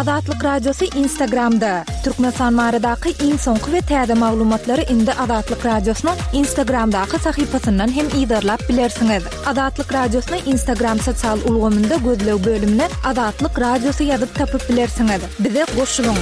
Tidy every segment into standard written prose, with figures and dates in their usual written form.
Azatlyk Radiosy Instagramda! Türkmenistan baradaky iň soňky we täze maglumatlary indi Azatlyk Radiosynyň Instagramdaky sahypasyndan hem yzarlap bilersiňiz. Azatlyk Radiosyny Instagram sosial ulgamynda gözleg bölümine Azatlyk Radiosy ýazyp tapyp bilersiňiz. Bize goşulyň!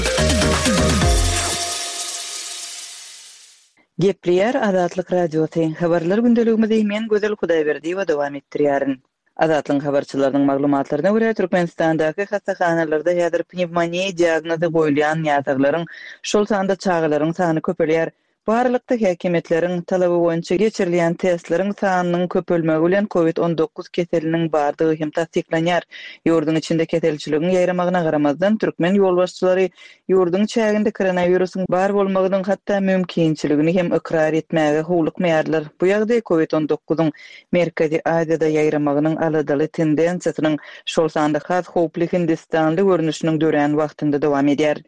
Gepleýär Azatlyk Radiosy, Habarlar gündeligimizi men Gözel Hudaýberdiýewa dowam etdirýärin. Azatlygyň habarçylarynyň maglumatlaryna görä, Türkmenistandaky hassahanalarda häzir pnewmoniýa diagnozy goýulýan näsaglaryň, şol sanda çagalaryň sany köpelýär. Bu aralykda, häkimiýetleriň talaby boýunça geçirilýän testleriň sanynyň köpelmegi bilen covid 19 keseliniň bardygy hem tassyklanýar. Ýurduň içinde keselçiligiň ýaýramagyna garamazdan, türkmen ýolbaşçylary Ýurduň çäginde koronawirusyň bar bolmagynyň hatda mümkinçiligini hem ykrar etmäge howlukmaýarlar. Bu ýagdaý covid 19-yň Merkezi Aziýada ýaýramagynyň aladaly tendensiýasynyň, şol sanda has howply hindistanly görnüşiniň dörän wagtynda dowam edýär.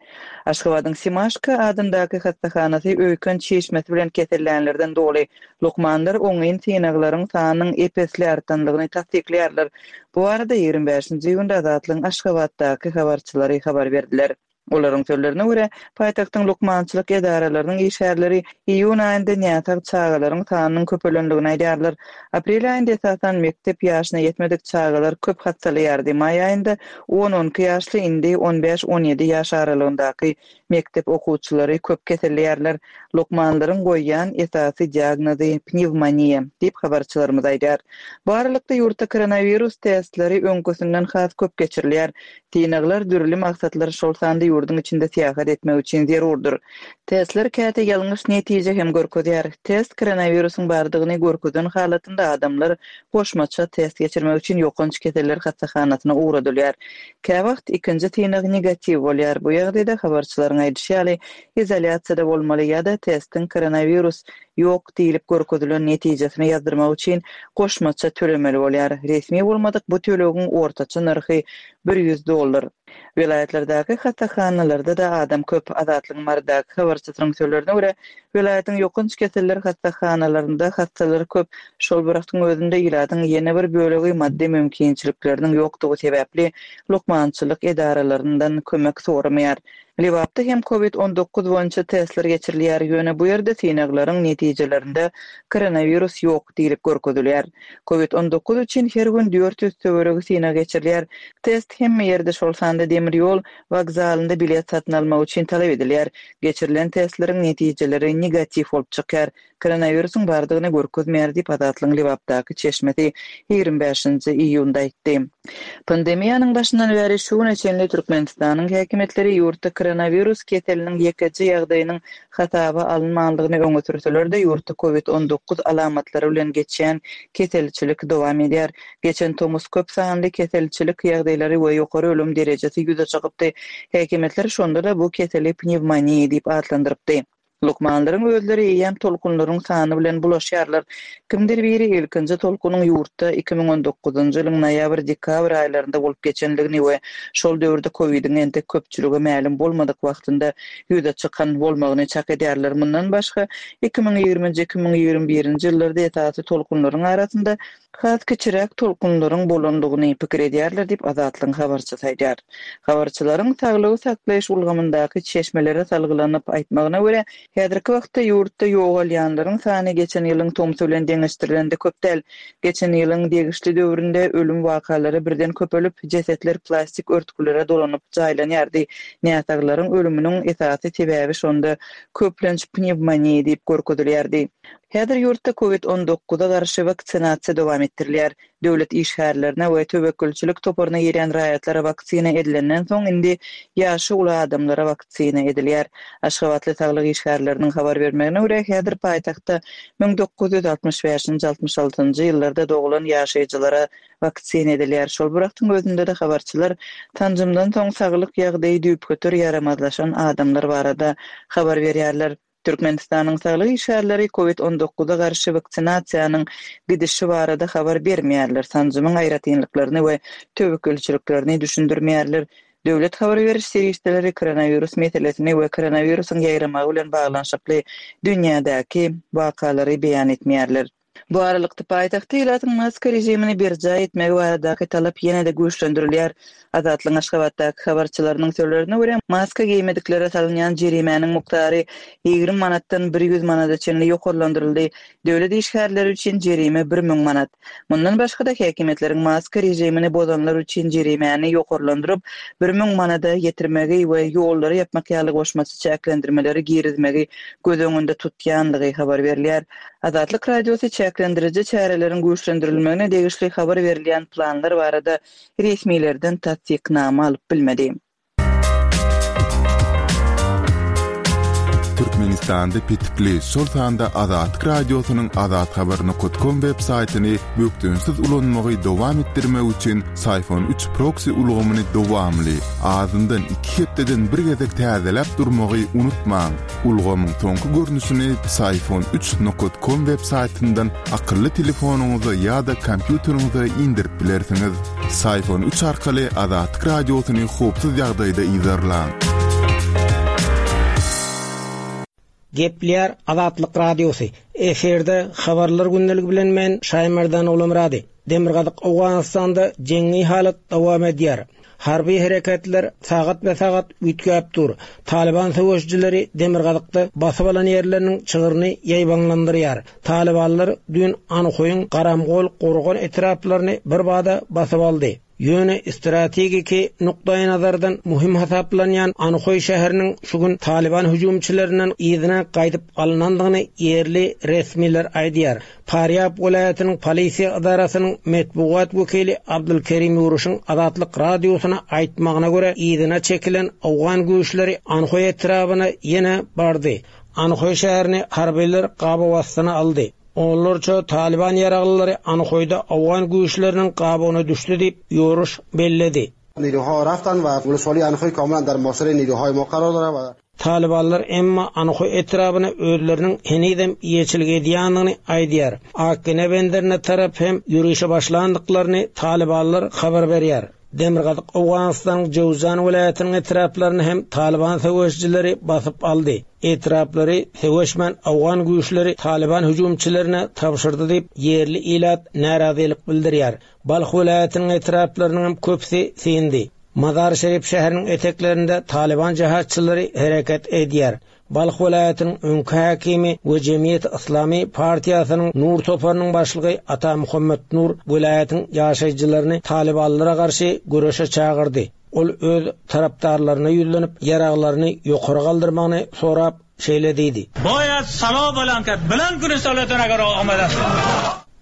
Aşgabadyň Simaşka adyndaky hassahanasy öýken çişmesi bilen kesellänlerden doly. Lukmanlar oňyn synaglaryň sanynyň ep-esli artandygyny tassyklaýarlar. Bu barada 25-nji iýunda Azatlygyň Aşgabatdaky habarçylary habar berdiler. Olaryň sözlerine görä, paýtagtyň lukmançylyk edaralarynyň işgärleri iýun aýynda näsag çagalaryň sanynyň köpelendigini aýdýarlar. Aprel aýynda esasan mekdep ýaşyna ýetmedik çagalar köp hassalaýardy, maý aýynda on-on iki ýaşly, indi on bäş-on ýedi ýaş aralygyndaky Mekdep okuwçylary köp keselleýärler. Lukmanlaryň goýýan esasy diagnozy pnewmoniýa, diýip, habarçylarymyz aýdýar. Bu aralykda, ýurtda koronawirus testleri öňküsinden has köp geçirilýär. Synaglar dürli maksatlar, şol sanda ýurduň içinde syýahat etmek üçin zerurdyr. Testler käte ýalňyş netije hem görkezýär. Test koronawirusyň bardygyny görkezen halatynda adamlar goşmaça test geçirmek üçin ýokanç keseller hassahanasyna ugradylýar. Käwagt ikinji synag negatiw bolýar, bu ýagdaýda, habarçylaryň aýdyşy ýaly, izolýasiýada bolmaly ýa-da testiň koronawirus ýok diýlip görkezilen netijesini ýazdyrmak üçin goşmaça tölemeli bolýar. Resmi bolmadyk bu tölegiň ortaça nyrhy 100 dollar. Welaýatlardaky hassahanalarda-da adam köp. Azatlygyň Marydaky habarçysynyň sözlerine görä, Welaýatyň ýokanç keseller hassahanalarynda hassalar köp. Şol bir wagtyň özünde ilatyň ýene bir bölegi maddy mümkinçilikleriniň ýokdugy sebäpli lukmançylyk edaralaryndan kömek soramaýar. Lebapda hem covid 19 boýunça testler geçirilýär, ýöne bu ýerde synaglaryň netijelerinde koronawirus ýok diýlip görkezilýär. Covid 19 üçin her gün 400 töweregi synag geçirilýär. Test hemme ýerde, şol sanda demir ýol wokzalynda bilet satyn almak üçin talap edilýär. Geçirilen testleriň netijeleri negatiw bolup çykýar, koronawirusyň bardygyny görkezmeýär diýip, Azatlygyň Lebapdaky çeşmesi 25-nji iýunda aýtdy. Pandemiýanyň başyndan bäri şu güne çenli Türkmenistanyň häkimiýetleri ýurtda koronawirus keseliniň ýekeje ýagdaýynyň hasaba alynmandygyny öňe sürseler-de, ýurtda covid 19 alamatlary bilen geçýän keselçilik dowam edýär. Geçen tomus köp sanly keselçilik ýagdaýlary we ýokary ölüm derejesi ýüze çykypdy. Häkimiýetler şonda-da bu keseli pnewmoniýa diýip atlandyrypdy. Lukmanlaryň özleri eýýäm tolkunlaryň sany bilen bulaşýarlar. Kimdir biri ilkinji tolkunyň ýurtda 2019-njy ýylyň noýabr-dekabr aýlarynda bolup geçendigini we şol döwürde kowidiň entek köpçülige mälim bolmadyk wagtynda ýüze çykan bolmagyny çak edýärler. Mundan başga, 2020-nji, 2021-nji ýyllarda esasy tolkunlaryň arasynda has kiçiräk tolkunlaryň bolandygyny pikir edýärler diýip, Azatlygyň habarçysy aýdýar. Habarçylaryň saglygy saklaýyş ulgamyndaky çeşmelere salgylanyp aýtmagyna görä, häzirki wagtda ýurtda ýogalýanlaryň sany geçen ýylyň tomsy bilen deňeşdirilende köp däl. Geçen ýylyň degişli döwründe ölüm wakalary birden köpelip, jesetler plastik örtgülere dolanyp jaýlanýardy. Näsaglaryň ölüminiň esasy sebäbi şonda köplenç pnewmoniýa diýip görkezilýärdi. Häzir ýurtda covid 19-a garşy waksinasiýa dowam etdirilýär. Döwlet işgärlerine we töwekgelçilik toparyna girýän raýatlara waksina edilenden soň indi ýaşy uly adamlara waksina edilýär. Aşgabatly saglyk işgärleriniň habar bermegine görä, häzir paýtagtda 1965-nji, 66-njy ýyllarda doglan ýaşaýjylara waksina edilýär. Şol bir wagtyň özünde-de habarçylar sanjymdan soň saglyk ýagdaýy düýpgöter ýaramazlaşan adamlar barada habar berýärler. Türkmenistanyň saglyk işgärleri covid 19-a garşy waksinasiýanyň gidişi barada habar bermeýärler, sanjymyň aýratynlyklaryny we töwekgelçiliklerini düşündirmeýärler. Döwlet habar beriş serişdeleri koronawirus meselesini we koronawirusyň ýaýramagy bilen baglanyşykly dünýädäki wakalary beýan etmeýärler. Bu aralykda, paýtagtda ilatyň maska režimini berjaý etmegi baradaky talap ýene-de güýçlendirilýär. Azatlygyň Aşgabatdaky habarçylarynyň sözlerine görä, maska geýmediklere salynýan jerimäniň mukdary 20 manatdan 100 manada çenli ýokarlandyryldy, döwlet işgärleri üçin jerime 1000 manat. Mundan başga-da, häkimiýetleriň maska režimini bozanlar üçin jerimäni ýokarlandyryp, 1000 manada ýetirmegi we ýollary ýapmak ýaly goşmaça çäklendirmeleri girizmegi göz öňünde tutýandygy habar berilýär. Azatlyk Radiosy çäklendiriji çäreleriň güýçlendirilmegine degişli habar berilýän planlar barada resmilerden tassyknama alyp bilmedi. Türkmenistanda petikli, şol sanda Azatlyk Radiosynyň azathabar nokat kom web saýtyny bökdençsiz ulanmagy dowam etdirmek üçin Syfon üç proksi ulgamyny dowamly, azyndan iki hepdeden bir gezek täzeläp durmagy unutmaň. Ulgamyň soňky görnüşini Psiphon üç nokat kom web saýtyndan akylly telefonyňyza ýa-da kompýuteriňize indirip bilersiňiz. Psiphon üç arkaly Azatlyk Radiosyny howpsuz ýagdaýda yzarlaň. Gepleýär Azatlyk Radiosy, Efirde Habarlar gündeligi bilen men Şaýmerdan Ogulmyrady. Demirgazyk Owganystanda jeňňi halat dowam edýär. Harby hereketler sagatbe-sagat üýtgäp dur. Talyban söweşijileri demirgazykda basyp alan ýerleriniň çygryny ýaýbaňlandyrýar. Talybanlar düýn Anhoýyň Garamgol, Gorgan etraplaryny birbada basyp aldy. Ýöne strategiki nukdaýnazardan möhüm hasaplanýan Anhoý şäheriniň şu gün talyban hüjümçilerinden yzyna gaýdyp alnandygyny ýerli resmiler aýdýar. Farýab welaýatynyň polisiýa edarasynyň metbugat wekili Abdulkerim Ýuruşyň Azatlyk Radiosyna aýtmagyna görä, yzyna çekilen owgan güýçleri Anhoý etrabyna ýene bardy. Anhoý şäherini harbylar gabaw astyna aldy. Onlarça talyban ýaraglylary Anhoýda owgan güýçleriniň gabawyna düşdi diýip, Ýuruş belledi. Talybanlar emma Anhoý etrabyna özleriniň henizem eýeçilik edýändigini aýdýar. Akgene benderine tarap hem ýörişe başlandyklaryny talybanlar habar berýär. Demirgazyk Owganystanyň Jöwzjan welaýatynyň etraplaryny hem talyban söweşijileri basyp aldy. Etraplary söweşmän owgan güýçleri talyban hüjümçilerine tabşyrdy diýip, ýerli ilat närazylyk bildirýär. Balh welaýatynyň etraplarynyň hem köpüsi syndy. Mazar-Şerif şäheriniň eteklerinde talyban jehatçylary hereket edýär. Balh welaýatynyň öňki häkimi we Jemgyýeti Yslamy partiýasynyň Nur toparynyň başlygy Ata Muhammet Nur welaýatyň ýaşaýjylaryny talybanlara garşy göreşe çagyrdy. Ol öz tarapdarlaryna ýüzlenip, ýaraglaryny ýokary galdyrmagyny sorap, şeýle diýdi. Boýad salo bolan ke bilen kuni salotan agar omad ast.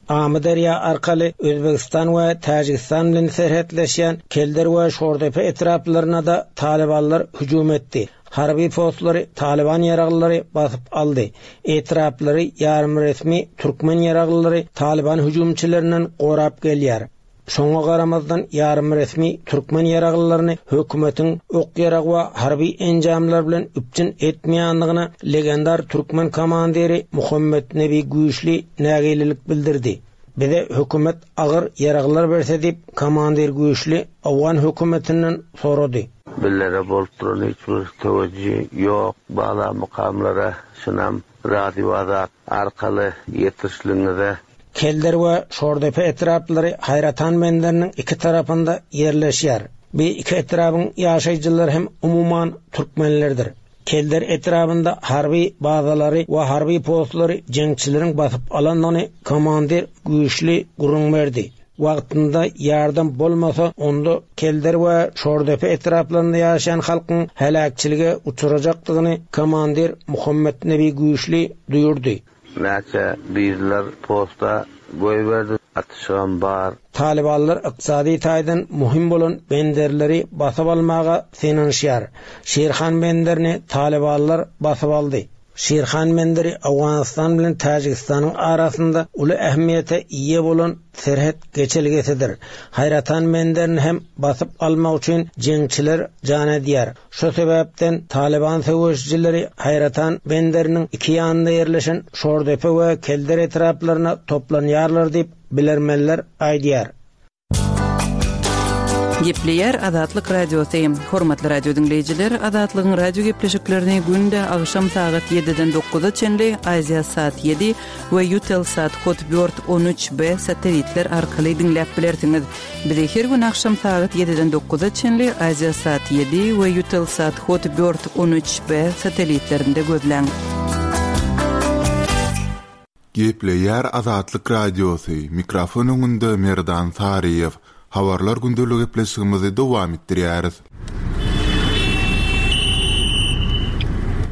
Amyderýa arkaly Özbegistan we Täjigistan bilen serhetleşýän Kelder we Şordepe etraplaryna-da talybanlar hüjüm etdi. Harby postlary talyban ýaraglylary basyp aldy. Etraplary ýarymresmi türkmen ýaraglylary talyban hüjümçilerinden gorap gelýär. Şoňa garamazdan, ýarymresmi türkmen ýaraglylaryny hökümetiň ok-ýarag we harby enjamlar bilen üpjün etmeýändigine legendar türkmen komandiri Muhammetnebi Güýçli nägilelik bildirdi. Bize hökümet agyr ýaraglar berse diýip, komandir Güýçli owgan hökümetinden sorady. Bizlere bolup duran hiç bir töwejji ýok bala mukamlara şunam Radio Azat arkaly ýetirişligiňize Kelder we Şordepe etraplary Haýratan benderiniň iki tarapynda ýerleşýär. Bi iki etrabyň ýaşaýjylary hem umuman türkmenlerdir. Kelder etrabynda harby bazalary we harby postlary jeňçileriň basyp alandygyny komandir Güýçli gürrüň berdi. Wagtynda ýardam bolmasa, onda Kelder we Şordepe etraplarynda ýaşaýan halkyň heläkçilige uçrajakdygyny komandir Muhammetnebi Güýçli duýurdy. Näçe bizler posta goýberdi atyşygam bar. Talybanlar ykdysady taýdan möhüm bolan benderleri basyp almaga synanyşýar. Şirhan benderini talybanlar basyp aldy. Şirhan benderi Owganystan bilen Täjigistanyň arasynda uly ähmiýete eýe bolan serhet geçelgesidir. Haýratan benderini hem basyp almak üçin jeňçiler jan edýär. Şu sebäpden Talyban söweşijileri Haýratan benderiniň iki ýanynda ýerleşen Şordepe we Kelder etraplaryna toplanýarlar diýip, bilermenler aýdýar. Gepleýär Azatlyk Radiosy. Hormatly radio diňleýjiler, Azatlygyň radio gepleşiklerini günde agşam sagat 7-den 9-a çenli Aziasat 7 we Eutelsat Hotbird 13B satellitler arkaly diňläp bilersiňiz. Bizi her gün agşam sagat 7-den 9-a çenli Aziasat 7 we Eutelsat Hotbird 13B satellitlerinde gözläň. Gepleýär Azatlyk Radiosy, mikrofon öňünde Merdan Saryýew. Habarlar gündelik gepleşigimizi dowam etdirýäris.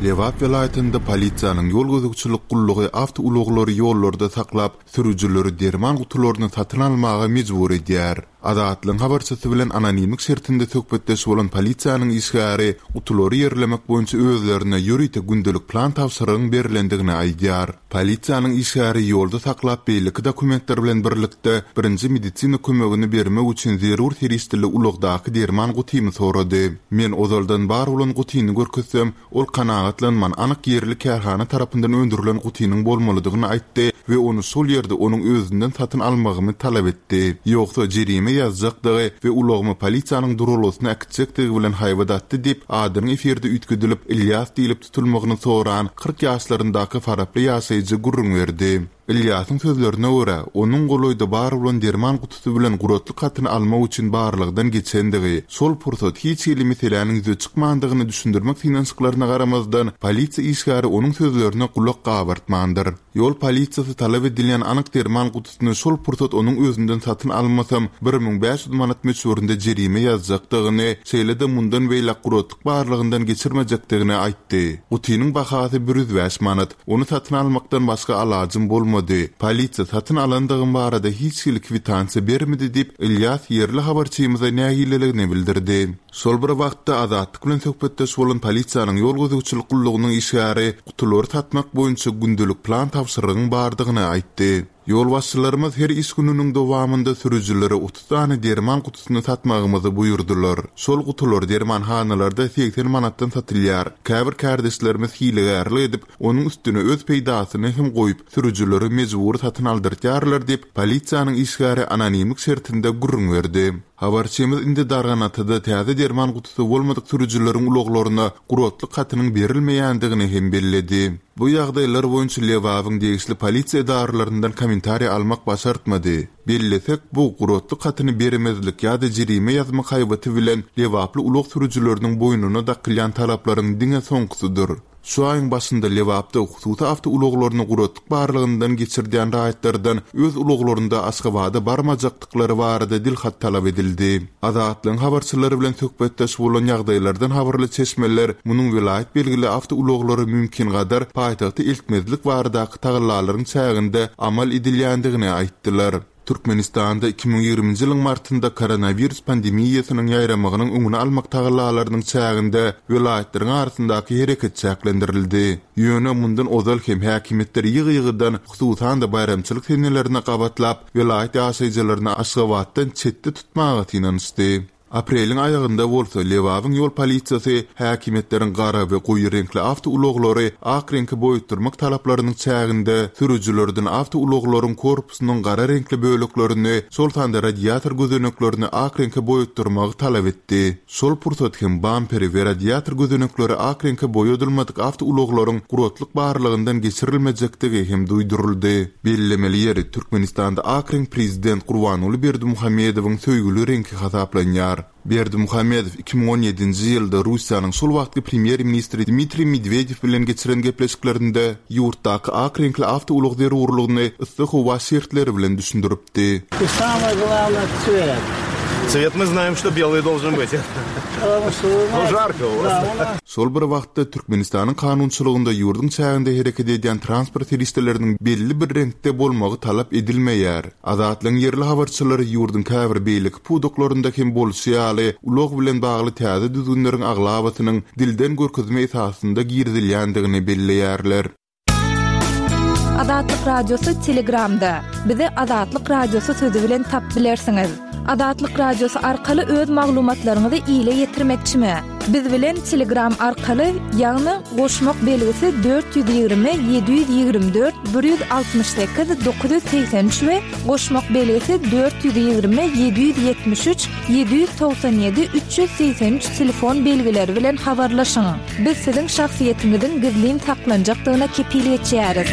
Lebap welaýatynda polisiýanyň ýol gözegçilik gullugy awtoulaglary ýollarda saklap, sürüjileri derman gutularyny satyn almaga mejbur edýär. Azatlygyň habarçysy bilen anonimlik şertinde söhbetdeş bolan polisiýanyň işgäri gutulary ýerlemek boýunça özlerine ýörite gündelik plan tabşyrygyň berlendigini aýdýar. Polisiýanyň işgäri ýolda saklap beýleki dokumentler bilen birlikde birinji medisina kömegini bermek üçin zerur serişdeli ulagdaky derman gutymy sorady. Men ozaldan bar bolan gutyny görkezsem, Ol kanagatlanman, anyk ýerli kärhana tarapyndan öndürilen gutynyň bolmalydygyny aýtdy we ony şol ýerde onuň özünden satyn almagymy talap etdi. Ýogsa, jerime ýazjakdygy we ulagymy polisiýanyň duralgasyna äkitjekdigi bilen haýbat atdy diýip, adynyň efirde üýtgedilip, Ylýas diýlip tutulmagyny soran, 40 ýaşlaryndaky faraply ýaşaýjy gürrüň berdi. Ylýasyň sözlerine görä, onuň golaýda bar bolan derman gutusy bilen guratlyk hatyny almak üçin barlagdan geçendigi, şol pursat hiç hili meseläniň ýüze çykmandygyny düşündirmek synanyşyklaryna garamazdan, polisiýa işgäri onuň sözlerine gulak gabartmandyr. Ýol polisiýasy talap edilýän anyk derman gutusyny şol pursat onuň özünden satyn almasam, 1500 manat möçberinde jerime ýazjakdygyny, şeýle-de mundan beýläk guratlyk barlagyndan geçirmejekdigini aýtdy. Gutynyň bahasy 105 manat. Ony satyn almakdan başga alajym bolmady. Polisiýa satyn alandygym barada hiç hili kwitansiýa bermedi diýip, Ylýas ýerli habarçymyza nägileligini bildirdi. Şol bir wagtda, Azatlyk bilen söhbetdeş bolan polisiýanyň ýol gözegçilik gullugynyň işgäri gutulary satmak boýunça gündelik plan tabşyrygyň bardygyny aýtdy. Ýolbaşçylarymyz her iş gününiň dowamynda sürüjilere 30 sany derman gutusyny satmagymyzy buýurdylar. Şol gutular dermanhanalarda 80 manatdan satylýar. Käbir kärdeşlerimiz hilegärlik edip, onuň üstüne öz peýdasyny hem goýup, sürüjilere mejbury satyn aldyrtýarlar diýip, polisiýanyň işgäri anonimlik şertinde gürrüň berdi. Habarçymyz indi Darganatada täze derman gutusy bolmadyk sürüjileriň ulaglaryna guratlyk hatynyň berilmeýändigini hem belledi. Bu ýagdaýlar boýunça Lebabyň degişli polisiýa edaralaryndan kommentariý almak başartmady. Bellesek, bu guratlyk hatyny bermezlik ýa-da jerime ýazmak haýbaty bilen lebaply ulag sürüjileriniň boýnuna dakylýan talaplaryň diňe soňkusydyr. Şu aýyň başynda Lebapda hususy awtoulaglaryny guratlyk barlagyndan geçirdýän raýatlardan öz ulaglarynda Aşgabada barmajakdyklary barada dilhat talap edildi. Azatlygyň habarçylary bilen söhbetdeş bolan ýagdaýlardan habarly çeşmeler munuň welaýat belgili awtoulaglary mümkingadar paýtagta eltmezlik baradaky tagallalaryň çäginde amal edilýändigini aýtdylar. Türkmenistanda 2020-nji ýylyň martynda koronawirus pandemiýasynyň ýaýramagynyň öňüni almak tagallalarynyň çäginde welaýatlaryň arasyndaky hereket çäklendirildi. Ýöne mundan ozal hem häkimiýetler ýygy-ýygydan, hususan-da baýramçylyk senelerine gabatlap, welaýat ýaşaýjylaryny Aşgabatdan çetde tutmaga synanyşdy. Apreliň aýagynda bolsa Lebabyň ýol polisiýasy häkimiýetleriň gara we goýy reňkli awtoulaglary ak reňke boýatdyrmak talaplarynyň çäginde sürüjilerden awtoulaglaryň korpusynyň gara reňkli böleklerini, şol sanda radiator gözeneklerini ak reňke boýatdyrmagy talap etdi. Şol pursat hem bamperi we radiator gözenekleri ak reňke boýadylmadyk awtoulaglaryň guratlyk barlagyndan geçirilmejekdigi hem duýduryldy. Bellemeli ýeri, Türkmenistanda ak reňk prezident Gurbanguly Berdimuhamedowyň söýgüli reňki hasaplanýar. Berdimuhamedow 2017-nji ýylda Russiýanyň şol wagtky premýer-ministri Dmitriý Medwedew bilen geçiren gepleşiklerinde ýurtdaky ak reňkli awtoulag zerurlygyny yssy howa şertleri bilen düşündiripdi. I samoe glawnoe tswet. Tswet my znaem çto belyý dolžen byt. No žarko u vas. Şol bir wagtda, Türkmenistanyň kanunçylygynda ýurduň çäginde hereket edýän transport serişdeleriniň belli bir reňkde bolmagy talap edilmeýär. Azatlygyň ýerli habarçylary ýurduň käbir beýleki pudaklarynda hem bolşy ýaly, ulag bilen bagly täze düzgünleriň aglabasynyň dilden görkezme esasynda girizilýändigini belleýärler. Azatlyk Radiosy Telegramda. Bizi Azatlyk Radiosy sözi bilen tap bilersiňiz. Azatlyk Radiosy arkaly öz maglumatlaryňyzy ile ýetirmekçimi? Biz bilen Telegram arkaly, ýagny goşmak belgisi 420 724 168 983 we goşmak belgisi 420 773 797 383 telefon belgileri bilen habarlaşyň. Biz siziň şahsyýetiňiziň gizlin saklanjakdygyna kepil geçýäris.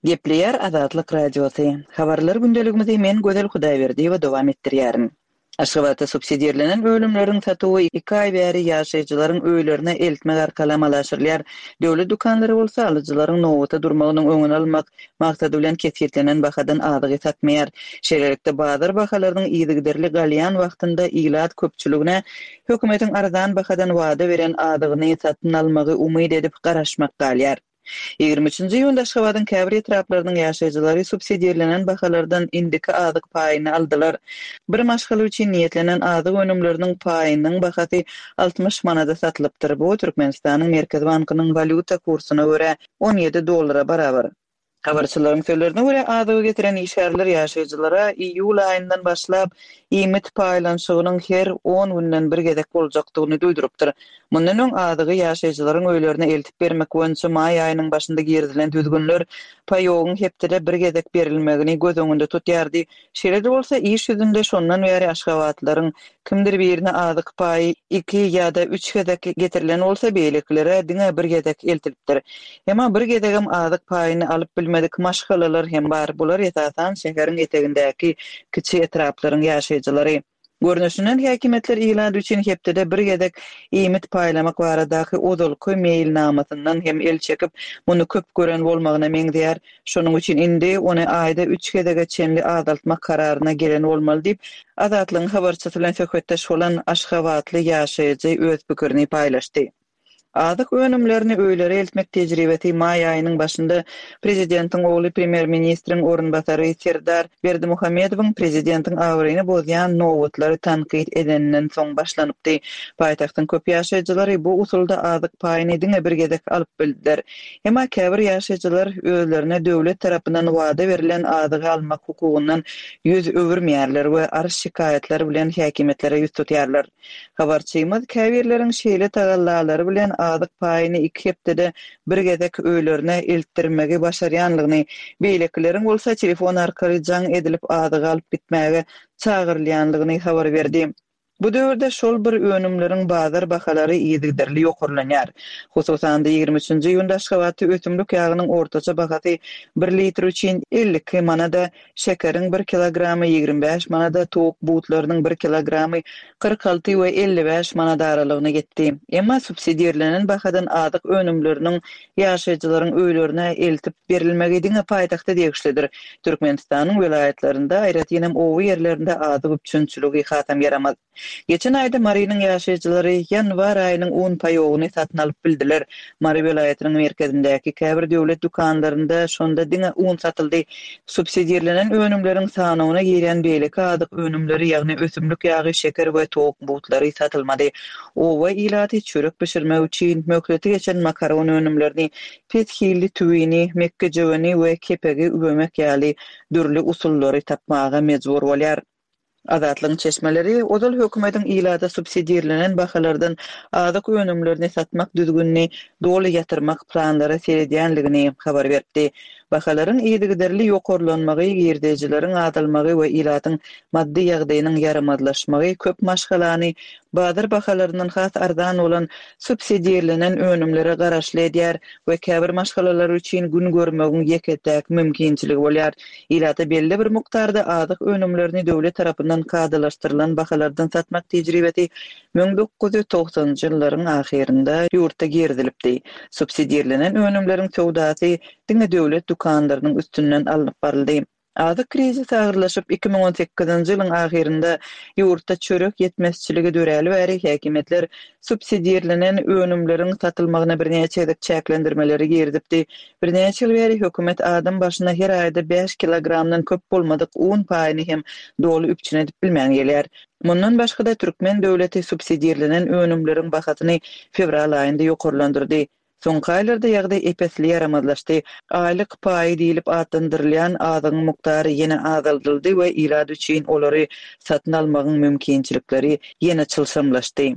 Gepleýär Azatlyk Radiosy. Habarlar gündeligimizi men Gözel Hudaýberdiýewa dowam etdirýärin. Aşgabatda subsidirlenen önümleriň satuwy iki aý bäri ýaşaýjylaryň öýlerine eltmek arkaly amala aşyrylýar. Döwlet dükanlary bolsa alyjylaryň nobata durmagynyň öňüni almak maksady bilen kesgitlenen bahadan azygy satmaýar. Şeýlelikde, bazar bahalarynyň yzygiderli galýan wagtynda ilat köpçüligine hökümetiň arzan bahadan wada beren azygyny satyn almagy umyt edip garaşmak galýar. 23-nji iýunda Aşgabadyň käbir etraplarynyň ýaşaýjylary subsidirlenen bahalardan indiki azyk paýyny aldylar. Bir maşgala üçin niýetlenen azyk önümleriniň paýynyň bahasy 60 manada satylypdyr. Bu Türkmenistanyň Merkezi bankynyň walýuta kursuna görä 17 dollara barabar. Habarçylaryň sözlerine görä, azygy getiren işgärler ýaşaýjylara iýul aýyndan başlap iýmit paýlanyşygynyň her on günden bir gezek boljakdygyny duýdurypdyr. Mundan öň azygy ýaşaýjylaryň öýlerine eltip bermek boýunça maý aýynyň başynda girizilen düzgünler paýogyň hepdede bir gezek berilmegini göz öňünde tutýardy. Şeýle-de bolsa, iş ýüzünde şondan bäri aşgabatlylaryň kimdir birine azyk paýy iki ýa-da üç gezek getirilen bolsa, beýlekilere diňe bir gezek eltilipdir. Emma bir gezegem azyk paýyny alyp bilmedik maşgalalar hem bar, bular esasan şäheriň etegindäki kiçi etraplaryň ýaşaýjylary. Görnüşinden, häkimiýetler ilat üçin hepdede bir gezek iýmit paýlamak baradaky ozalky meýilnamasyndan hem el çekip, muny köp gören bolmagyna meňzeýär. Şonuň üçin indi ony aýda üç gezege çenli azaltmak kararyna gelen bolmaly diýip, Azatlygyň habarçysy bilen söhbetdeş bolan aşgabatly ýaşaýjy öz pikirini paýlaşdy. Azyk önümlerini öýlere eltmek tejribesi maý aýynyň başynda prezidentiň ogly premýer-ministriň orunbasary Serdar Berdimuhamedowyň prezidentiň abraýyny bozýan nobatlary tankyt edeninden soň başlanypdy. Paýtagtyň köp ýaşaýjylary bu usulda azyk paýyny diňe bir gezek alyp bildiler. Emma käbir ýaşaýjylar özlerine döwlet tarapyndan wada berlen azygy almak hukugyndan ýüz öwürmeýärler we arz-şikaýatlar bilen häkimiýetlere ýüz tutýarlar. Habarçymyz käbirleriň şeýle tagallalary bilen azyk paýyny iki hepdede bir gezek öýlerine eltdirmegi başarýanlygyny, beýlekileriň bolsa telefon arkaly jaň edilip azygy alyp gitmäge çagyrylýanlygyny habar berdi. Bu döwürde şol bir önümleriň bazar bahalary yzygiderli ýokarlanýar. Hususan-da, 23-nji iýunda Aşgabatda ösümlik ýagynyň ortaça bahasy bir litr üçin 52 manada, şekeriň bir kilogramy 25 manada, towuk butlarynyň bir kilogramy 46 we 55 manat aralygyna ýetdi. Emma subsidirlenen bahadan azyk önümleriniň ýaşaýjylaryň öýlerine eltip berilmegi diňe paýtagta degişlidir. Türkmenistanyň welaýatlarynda, aýratynam oba ýerlerinde azyk üpjünçiligi hasam ýaramaz. Geçen aýda Marynyň ýaşaýjylary ýanwar aýynyň un paýogyny satyn alyp bildiler. Mary welaýatynyň merkezindäki käbir döwlet dükanlarynda şonda diňe un satyldy. Subsidirlenen önümleriň sanawyna girýän beýleki azyk önümleri, ýagny ösümlik ýagy, şeker we towuk butlary satylmady. Oba ilaty çörek bişirmek üçin möhleti geçen makaron önümlerini, pes hilli tüwini, mekgejöweni we kepegi üwemek ýaly dürli usullary tapmaga mejbur bolýar. Azatlygyň çeşmeleri ozal hökümetiň ilata subsidirlenen bahalardan azyk önümlerini satmak düzgünini doly ýatyrmak planlara seredýänligini habar beripdi. Bahalaryň yzygiderli ýokarlanmagy, girdejileriň azalmagy we ilatyň maddy ýagdaýynyň ýaramazlaşmagy köp maşgalany bazar bahalaryndan has arzan bolan subsidirlenen önümlere garaşly edýär we käbir maşgalalar üçin gün görmegiň ýeke-täk mümkinçiligi bolýar. Ilata belli bir mukdarda azyk önümlerini döwlet tarapyndan kadalaşdyrylan bahalardan satmak tejribesi 1990-njy ýyllaryň ahyrynda ýurtda girizilipdi. Subsidirlenen önümleriň söwdasy diňe döwlet dükanlarynyň üstünden alnyp baryldy. Azyk krizisi agyrlaşyp, 2018-nji ýylyň ahyrynda ýurtda çörek ýetmezçiligi döräli bäri häkimiýetler subsidirlenen önümleriň satylmagyna birnäçe gezek çäklendirmeleri girizipdi. Birnäçe ýyl bäri hökümet adam başyna her aýda bäş kilogramdan köp bolmadyk un paýyny hem doly üpjün edip bilmän gelýär. Mundan başga-da, türkmen döwleti subsidirlenen önümleriň bahasyny fewral aýynda ýokarlandyrdy. Soňky aýlarda ýagdaý ep-esli ýaramazlaşdy. Aýlyk paýy diýlip atlandyrylýan azygyň mukdary ýene azaldyldy we ilat üçin olary satyn almagyň mümkinçilikleri ýene çylşyrymlaşdy.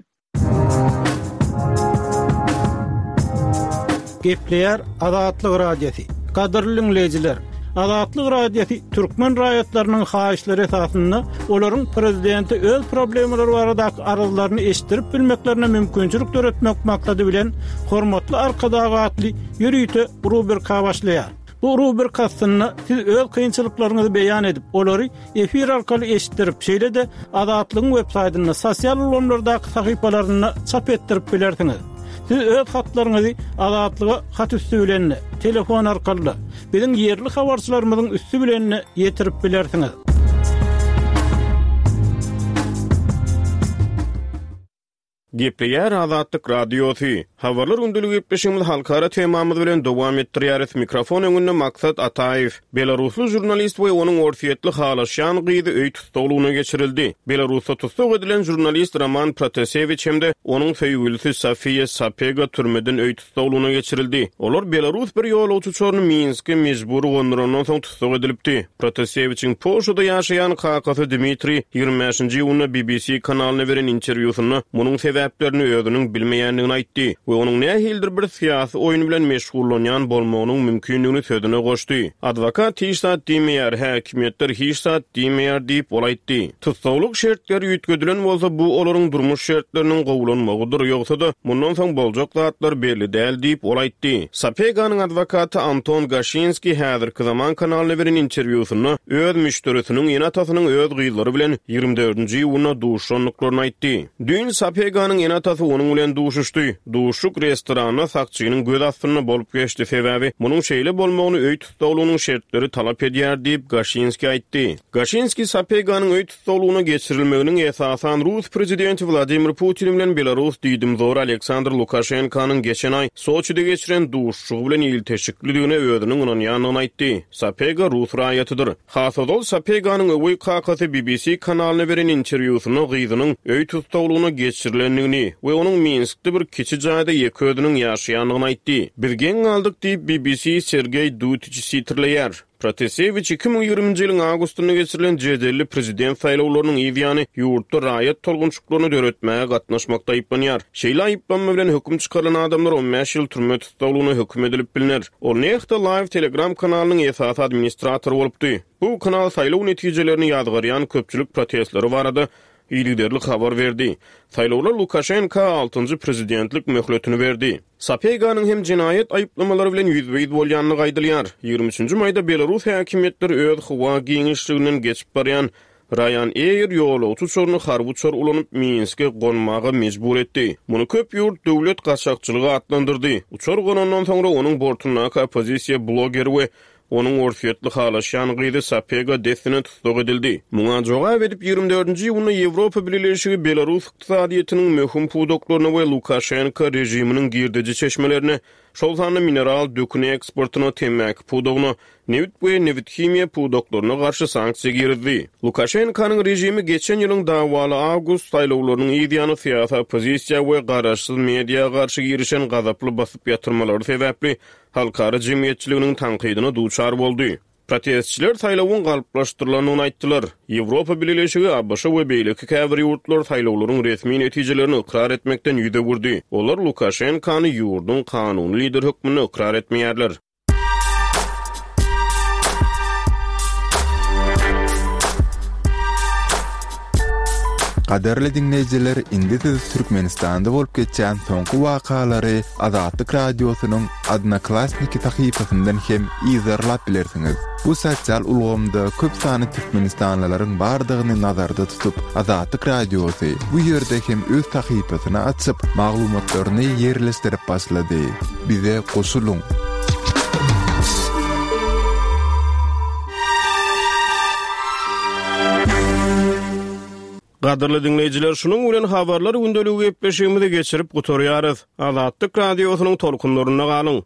Gepleýär Azatlyk Radiosy. Gadyrly diňleýjiler! Azatlyk Radiosy türkmen raýatlarynyň haýyşlary esasynda olaryň prezidente öz problemalary baradaky arzlaryny eşitdirip bilmeklerine mümkinçilik döretmek maksady bilen Hormatly Arkadag atly ýörite rubrika başlaýar. Bu rubrika astynda siz öz kynçylyklaryňyzy beýan edip, olary efir arkaly eşitdirip, şeýle-de Azatlygyň web saýtynda, sosial ulgamlardaky sahypalarynda çap etdirip bilersiňiz. Siz öz hatlaryňyzy Azatlyga hat üsti bilen-de, telefon arkaly-da, biziň ýerli habarçylarymyzyň üsti bilen-de ýetirip bilersiňiz. Gepleýär Azatlyk Radiosy. Habarlar gündeligi gepleşigimizi halkara temamyz bilen dowam etdirýäris. Mikrofon öňünde Maksat Ataýew. Belarusly žurnalist we onuň orsýetli halaşýan gyzy öý tussaglygyna geçirildi. Belarusda tussag edilen žurnalist Roman Protasewiç hem-de onuň söýgülisi Sofiýa Sapega türmeden öý tussaglygyna geçirildi. Olar belarus bir ýolagçy uçaryny Minske mejbury gondurandan soň tussag edilipdi. Protasewiçiň Polşada ýaşaýan kakasy Dmitriý 25-nji iýunda BBC kanalyna beren interwýusynda munuň sebäplerini özüniň bilmeýändigini aýtdy we onuň nähilidir bir syýasy oýun bilen meşgullanýan bolmagynyň mümkindigini sözüne goşdy. Adwokat hiç zat diýmeýär, häkimiýetler hiç zat diýmeýär diýip, ol aýtdy. Tussaglyk şertleri üýtgedilen bolsa, bu olaryň durmuş şertleriniň gowulanmagydyr, ýogsa-da, mundan soň boljak zatlar belli däl diýip, ol aýtdy. Sapeganyň adwokaty Anton Gaşinskiý Häzirki zaman kanalyna beren interwýusynda öz müşderisiniň ene-atasynyň öz gyzlary bilen 24-nji iýunda duşuşandyklaryny aýtdy. Düýn Sapeganyň ene-atasy onuň bilen duşuşdy. Duşuşyk restoranda sakçynyň göz astynda bolup geçdi, sebäbi munuň şeýle bolmagyny öý tussaglygynyň şertleri talap edýär diýip, Gaşinskiý aýtdy. Gaşinskiý Sapeganyň öý tussaglygyna geçirilmeginiň esasan rus prezidenti Wladimir Putin bilen belarus diýdimzory Aleksandr Lukaşenkanyň geçen aý Soçide geçiren duşuşygy bilen ilteşiklidigine özüniň ynanýandygyny aýtdy. Sapega rus raýatydyr. Has ozal Sapeganyň öweý kakasy BBC kanalyna beren interwýusynda gyzynyň öý tussaglygyna geçirilendigini we onuň Minskde bir kiçi jaýda ýeke özüniň ýaşaýandygyny aýtdy. Biz geň galdyk diýip, BBC Sergeý Dutiçi sitirleýär. Protasewiç 2020-nji ýylyň awgustynda geçirilen jedelli prezident saýlawlarynyň yz ýany ýurtda raýat tolgunçyklaryny döretmäge gatnaşmakda aýyplanýar. Şeýle aýyplanma bilen höküm çykarylan adamlar 15 ýyl türme tussaglygyna höküm edilip bilner. Ol Nexta Live Telegram kanalynyň esasy administratory bolupdy. Bu kanal saýlaw netijelerini ýazgarýan köpçülik protestleri barada yzygiderli habar berdi. Saýlawlar Lukaşenka altynjy prezidentlik möhletini berdi. Sapeganyň hem jenaýat aýyplamalary bilen ýüzbe-ýüz bolýandygy aýdylýar. 23-nji maýda belarus häkimiýetleri öz howa giňişliginden geçip barýan Ryanair ýolagçy uçaryny harby uçar ulanyp, Minske gonmaga mejbur etdi. Muny köp ýurt döwlet gaçakçylygy atlandyrdy. Uçar gonandan soňra onuň bortundaky oppozisiýa blogeri we onuň orsýetli halaşýan gyzy Sapega dessine tussag edildi. Muňa jogap edip, 24-nji iýunda Ýewropa Bileleşigi belarus ykdysadyýetiniň möhüm pudaklaryna we Lukaşenko režiminiň girdeji çeşmelerine şol sanda mineral dökün eksportyna, temmäki pudagyna, nebit we nebithimiýa pudaklaryna garşy sanksiýa girizdi. Lukaşenkanyň režimi geçen ýylyň dawaly awgust saýlawlarynyň yz ýany syýasy oppozisiýa we garaşsyz media garşy girişen gazaply basyp ýatyrmalary sebäpli halkara jemgyýetçiliginiň tankydyna duçar boldy. Protestçiler saýlawyň galplaşdyrylandygyny aýtdylar. Ýewropa Bileleşigi, ABŞ we beýleki käbir ýurtlar saýlawlaryň resmi netijelerini ykrar etmekden ýüz öwürdi. Olar Lukaşenkany ýurduň kanuny lideri hökmünde ykrar etmeýärler. Gadyrly diňleýjiler, indi siz Türkmenistanda bolup geçýän soňky wakalary Azatlyk Radiosynyň Odnoklassniki sahypasyndan hem yzarlap bilersiňiz. Bu sosial ulgamda köp sanly türkmenistanlylaryň bardygyny nazarda tutup, Azatlyk Radiosy bu ýerde hem öz sahypasyny açyp, maglumatlaryny ýerleşdirip başlady. Bize goşulyň! Gadyrly diňleýjiler, şunuň bilen Habarlar gündeligi gepleşigimizi geçirip gutarýarys. Azatlyk Radiosynyň tolkunlarynda galyň!